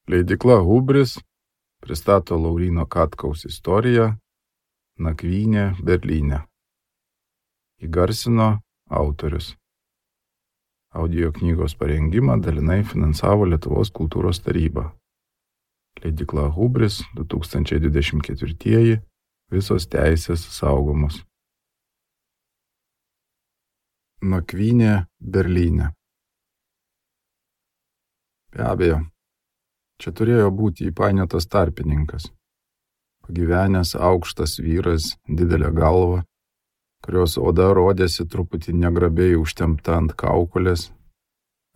Leidykla Hubris pristato Lauryno Katkaus istoriją Nakvynė Berlyne. Įgarsino autorius. Audio knygos parengimą dalinai finansavo Lietuvos kultūros taryba. Leidykla Hubris 2024. Visos teisės saugomos. Nakvynė Berlyne. Be abejo, čia turėjo būti įpainiotas tarpininkas. Pagyvenęs aukštas vyras, didelė galva, kurios oda rodėsi truputį negrabiai užtempta ant kaukolės,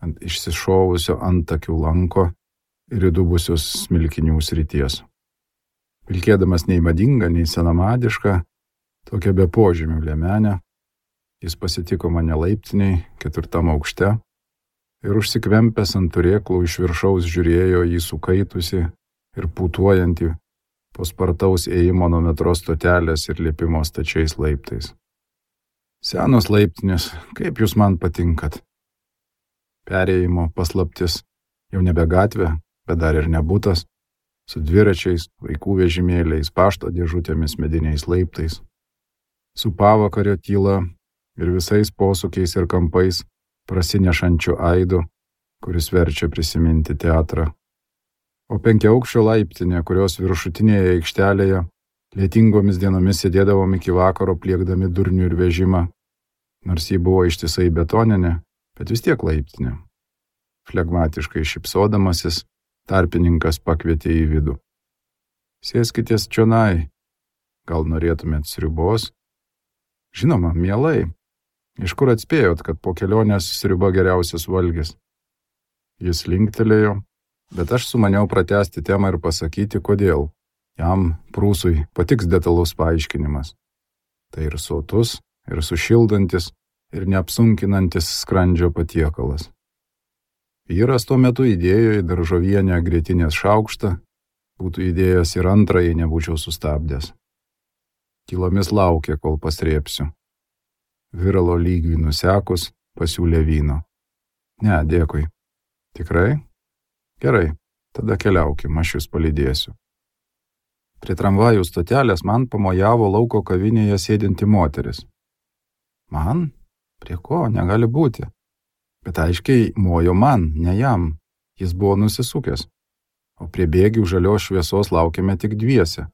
ant išsišovusio antakių lanko ir įdubusios smilkinių srities. Vilkėdamas nei madingą, nei senamadišką, tokią be požymių liemenę, jis pasitiko mane laiptiniai 4. aukšte ir užsikvempęs ant turėklų iš viršaus žiūrėjo į sukaitusi ir pūtuojantį po spartaus ėjimo nuo metro stotelės ir lipimo stačiais laiptais. Senos laiptinės, kaip jūs man patinkat. Perėjimo paslaptis, jau nebe gatvė, bet dar ir nebutas, su dviračiais, vaikų vežimėliais, pašto dėžutėmis, mediniais laiptais, su pavakario tyla ir visais posūkiais ir kampais prasinešančiu aidu, kuris verčia prisiminti teatrą. O 5-aukščio laiptinė, kurios viršutinėje aikštelėje lietingomis dienomis sėdėdavom iki vakaro pliekdami durnių ir vežimą, nors ji buvo ištisai betoninė, bet vis tiek laiptinė. Flegmatiškai šypsodamasis, tarpininkas pakvietė į vidų. Sėskitės čionai, gal norėtumėt sriubos? Žinoma, mielai. Iš kur atspėjot, kad po kelionės sriuba geriausias valgis? Jis linktelėjo, bet aš sumaniau pratęsti temą ir pasakyti, kodėl. Jam, prūsui, patiks detalus paaiškinimas. Tai ir sotus, ir sušildantis, ir neapsunkinantis skrandžio patiekalas. Vyras tuo metu įdėjo į daržovienę grietinės šaukštą, būtų įdėjęs ir antrą, jei nebūčiau sustabdęs. Tylomis laukė, kol pasrėpsiu. Viralo lygvį nusekus, pasiūlė vyno. Ne, dėkui. Tikrai? Gerai, tada keliaukim, aš jūs palydėsiu. Prie tramvajų stotelės man pamojavo lauko kavinėje sėdinti moteris. Man? Prie ko? Negali būti. Bet aiškiai mojo man, ne jam. Jis buvo nusisukęs. O prie bėgių žalios šviesos laukėme tik dviese.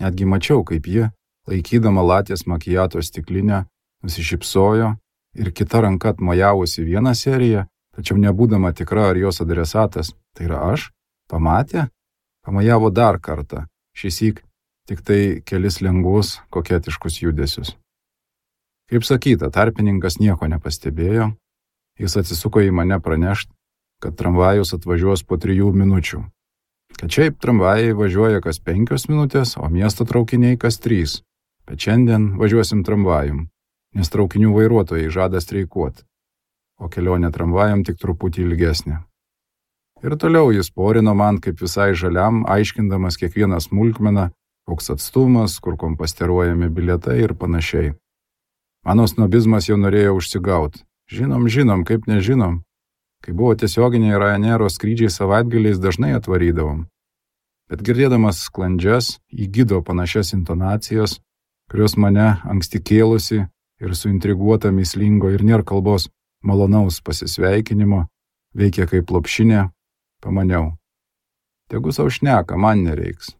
Netgi mačiau, kaip ji, laikydama latės makiato stiklinę, nusišypsojo ir kita ranka atmojavusi vieną seriją, tačiau nebūdama tikra, ar jos adresatas, tai yra aš, pamatė, pamojavo dar kartą, šįsyk tik tai kelis lengvus, koketiškus judesius. Kaip sakyta, tarpininkas nieko nepastebėjo, jis atsisuko į mane pranešti, kad tramvajus atvažiuos po 3 minučių. Kad šiaip tramvajai važiuoja kas 5 minutės, o miesto traukiniai kas 3. Bet šiandien važiuosim tramvajum, nes traukinių vairuotojai žada streikuoti, o kelionė tramvajam tik truputį ilgesnė. Ir toliau jis porino man kaip visai žaliam, aiškindamas kiekvieną smulkmeną, koks atstumas, kur komposteruojami bilietai ir panašiai. Mano snobizmas jau norėjo užsigauti. Žinom, kaip nežinom. Kai buvo tiesioginiai Ryanairo skrydžiai savaitgaliais dažnai atvarydavom. Bet girdėdamas sklandžias, į gido panašias intonacijas, kurios mane anksti kėlusi ir suintriguota mįslingo ir nėr kalbos malonaus pasisveikinimo, veikia kaip lopšinė, pamaniau. Tegu sau šneka, man nereiks.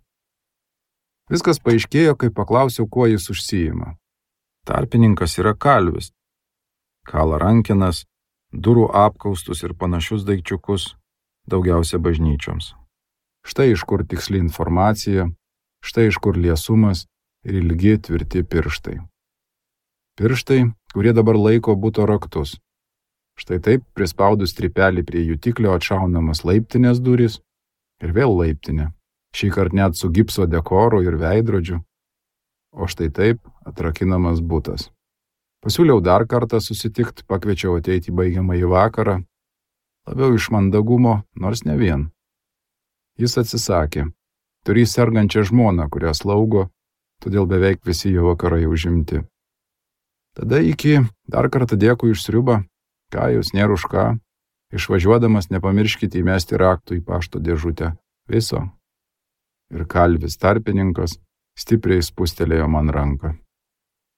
Viskas paaiškėjo, kai paklausiau, kuo jis užsiima. Tarpininkas yra kalvis. Kala rankenas, durų apkaustus ir panašius daikčiukus, daugiausia bažnyčioms. Štai iš kur tiksli informacija, štai iš kur liesumas ir ilgi tvirti pirštai. Pirštai, kurie dabar laiko buto raktus. Štai taip, prispaudus strypelį prie jutiklio atšaunamas laiptinės durys ir vėl laiptinė, šįkart net su gipso dekoru ir veidrodžiu. O štai taip atrakinamas butas. Pasiūliau dar kartą susitikti, pakviečiau ateiti baigiamąjį vakarą, labiau iš mandagumo, nors ne vien. Jis atsisakė, turi sergančią žmoną, kurią slaugo, todėl beveik visi jo vakarai užimti. Tada iki, dar kartą dėkui už sriubą, ką jūs nėra už ką, išvažiuodamas nepamirškite įmesti raktų į pašto dėžutę, Viso. Ir kalvis tarpininkas stipriai spustelėjo man ranką.